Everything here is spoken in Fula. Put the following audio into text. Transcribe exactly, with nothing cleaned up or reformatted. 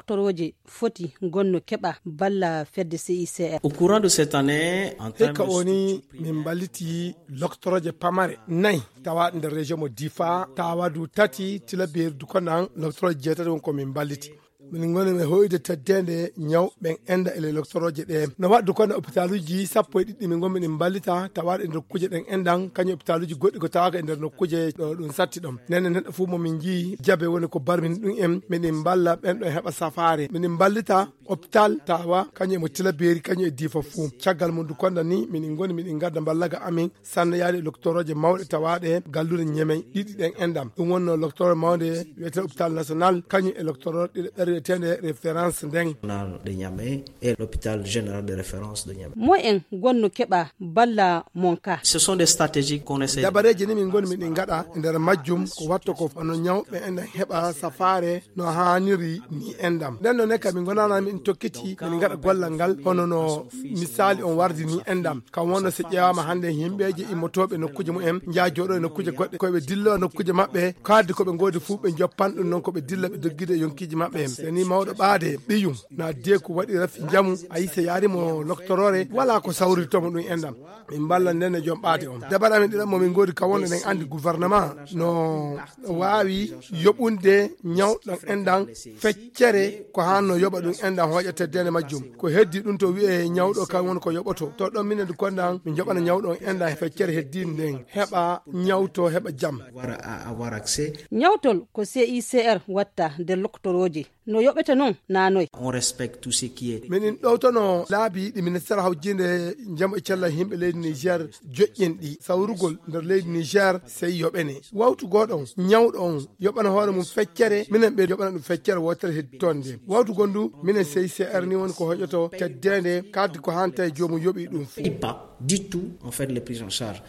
doktorooje foti ngonno keɓa balla fedde C I C R. Au courant de cette année, en termes hikka de woni structure min mballiti loktorooje pamare nayi tawaaɗe nder région mo Difa, tawadu tati, Tilaberi, Dukonan, loktorooje jeetati won ko min mballiti. Min ngoni e hoyde teddeende ñaw ɓen enda e le loktorooje ɗe. No waɗdu kono hôpitaluji sappo e ɗiɗi min ngonmi ɗin mballita tawaaɗe e nder kuje ɗen endan, kañum hôpitaluji goɗɗi ko tawaka e nder nokkuje ɗo ɗum satti ɗon. Nene neɗɗo fof mo min njii jabe woni ko barmini ɗum en, miɗen mballa ɓen ɗo heɓa safaare. Miɗen mballita hôpital tawa kañum e mo Tilaberi, kañum e Difa fof. Caggal mum du konda ni miɗen ngoni miɗen ngadda mballaga amin sanne yaade e loktorooje mawɗe tawaaɗe galluure Ñemey ɗiɗi ɗen endam. Ɗum wonno loktoroo mawnde wiyetee hôpital national, kañum e loktoroo ɗiɗo ɓer wiyeteende référence nden. National de Niamey et l'hôpital général de référence de Niamey. Mo en ngonno keɓa balla mon ka. Ce sont des stratégies qu'on essaie. Dabareeji ni min ngoni miɗen ngaɗa e nder majjum ko watto ko hono ñawɓe en heɓa safaare no haaniri ni endam. Nden noon ne kam min ngonana min tokkiti min ngaɗa gollal ngal hono no misali on wardi ni endam. Kam wonno so ƴeewaama hannde yimɓeeje immotooɓe nokkuuje mumen njaha jooɗo e nokkuuje goɗɗe, ko ɓe dillo e nokkuuje maɓɓe, kaaddi ko ɓe ngoodi fof ɓe njoppan ɗum noon ko ɓe dilla ɓe doggida e yonkiiji maɓɓe. So ni mawɗo ɓaade ɓiyum na deeku waɗi rafi njamu, a yii so yaari mo loktoroore, wala ko sawrirto mo ɗum endam. Min mballa nden e joom ɓaade on. Dabare amin ɗiɗo mo min ngoodi kam wonno ɗen anndi gouvernement no waawi yoɓunde ñawɗo endan feccere ko hanno yoɓa ɗum endan hooƴa teddeende majjum. Ko heddi ɗum to wi'e ñawɗo kan woni ko yoɓoto. To ɗon minen du kondan min joɓana ñawɗo on endan feccere heddi nden heɓa ñawto heɓa jam. Avoir à, avoir accès. Ñawtol ko C I C R watta nder loktorooje. No yoɓete noon na noy? On respecte tout ce qui est. Minin ɗowtono laabi ɗi ministère hawjinde njamu e cellal yimɓe leydi Niger joƴƴen ɗi. Sawrugol nder leydi Niger sey yoɓene. Wawtu goɗon ñawɗo on yoɓana hoore mum feccere, minen ɓe yoɓana ɗum feccere wootere heddi toon nde. Wawtu gondu minen C I C R ni woni ko hoƴoto teddeende kaddi ko hanta e joomum yoɓi ɗum fof. Pas du tout, en fait, les prises en charge.